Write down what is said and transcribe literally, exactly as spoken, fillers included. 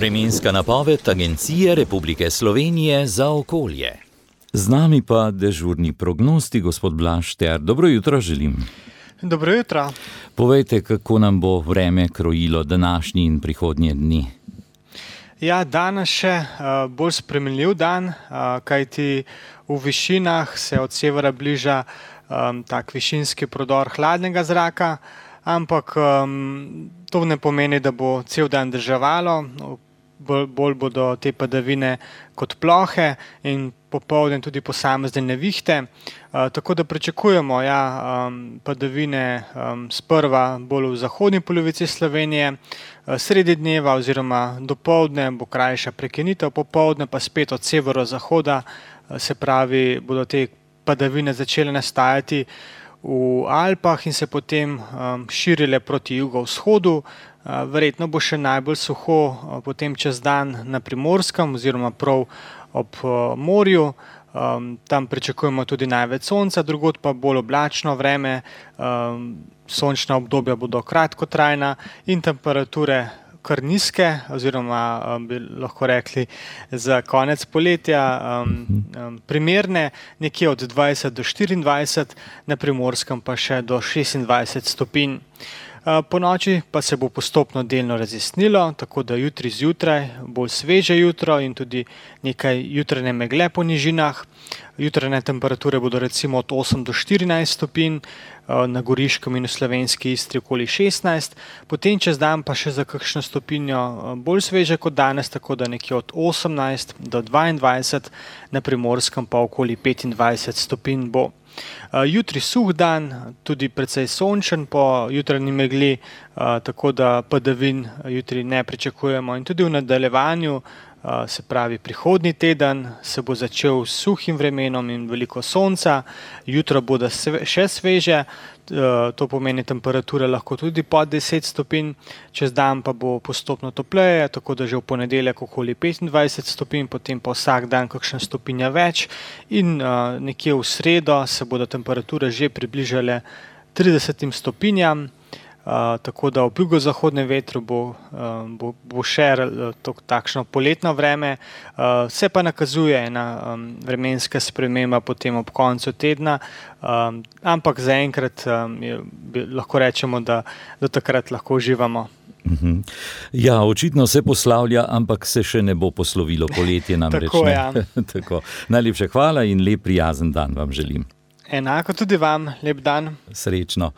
Vremenska napoved Agencije Republike Slovenije za okolje. Z nami pa dežurni prognosti, gospod Blaž Šter. Dobro jutro želim. Dobro jutro. Povejte, kako nam bo vreme krojilo današnji in prihodnje dni. Ja, danes še uh, bolj spremenljiv dan, uh, kajti v višinah se od severa bliža um, tak višinski prodor hladnega zraka, ampak um, to ne pomeni, da bo cel dan deževalo, bolj, bolj bodo te padavine kot plohe in popoldne tudi posamezne nevihte. Uh, tako da pričakujemo ja, um, padavine um, sprva bolj v zahodni polovici Slovenije, uh, sredi dneva oziroma dopoldne bo krajša prekinitev, popoldne pa spet od severozahoda, uh, se pravi, bodo te padavine začele nastajati v Alpah in se potem um, širile proti jugovzhodu. Uh, verjetno bo še najbolj suho uh, potem čez dan na Primorskem oziroma prav ob uh, morju. Um, tam pričakujemo tudi največ sonca, drugod pa bolj oblačno vreme, um, sončna obdobja bodo kratkotrajna in temperature kar nizke, oziroma um, bi lahko rekli za konec poletja um, um, primerne, nekje od dvajset do štiriindvajset, na Primorskem pa še do šestindvajset stopinj. Po noči pa se bo postopno delno razjasnilo, tako da jutri zjutraj bolj sveže jutro in tudi nekaj jutranje megle po nižinah. Jutranje temperature bodo recimo od osem do štirinajst stopinj, na Goriškem in v Slovenski Istri okoli šestnajst, potem čez dan pa še za kakšno stopinjo bolj sveže kot danes, tako da nekje od osemnajst do dvaindvajset, na Primorskem pa okoli petindvajset stopinj bo. Jutri suh dan, tudi precej sončen po jutranji megli, tako da padavin jutri ne pričakujemo in tudi v nadaljevanju, se pravi prihodnji teden, se bo začel s suhim vremenom in veliko sonca, jutro bodo še sveže, to pomeni temperature lahko tudi pod deset stopinj, čez dan pa bo postopno topleje, tako da že v ponedeljek okoli petindvajset stopinj, potem pa vsak dan kakšna stopinja več in nekje v sredo se bodo temperature že približale tridesetim stopinjam. Uh, tako da ob jugozahodnem vetru bo, uh, bo, bo še to, takšno poletno vreme. Uh, se pa nakazuje ena um, vremenska sprememba potem ob koncu tedna, um, ampak zaenkrat um, je, lahko rečemo, da do takrat lahko uživamo. Uh-huh. Ja, očitno se poslavlja, ampak se še ne bo poslovilo poletje namreč. Tako, ja. Tako. Najlepša hvala in lep prijazen dan vam želim. Enako tudi vam, lep dan. Srečno.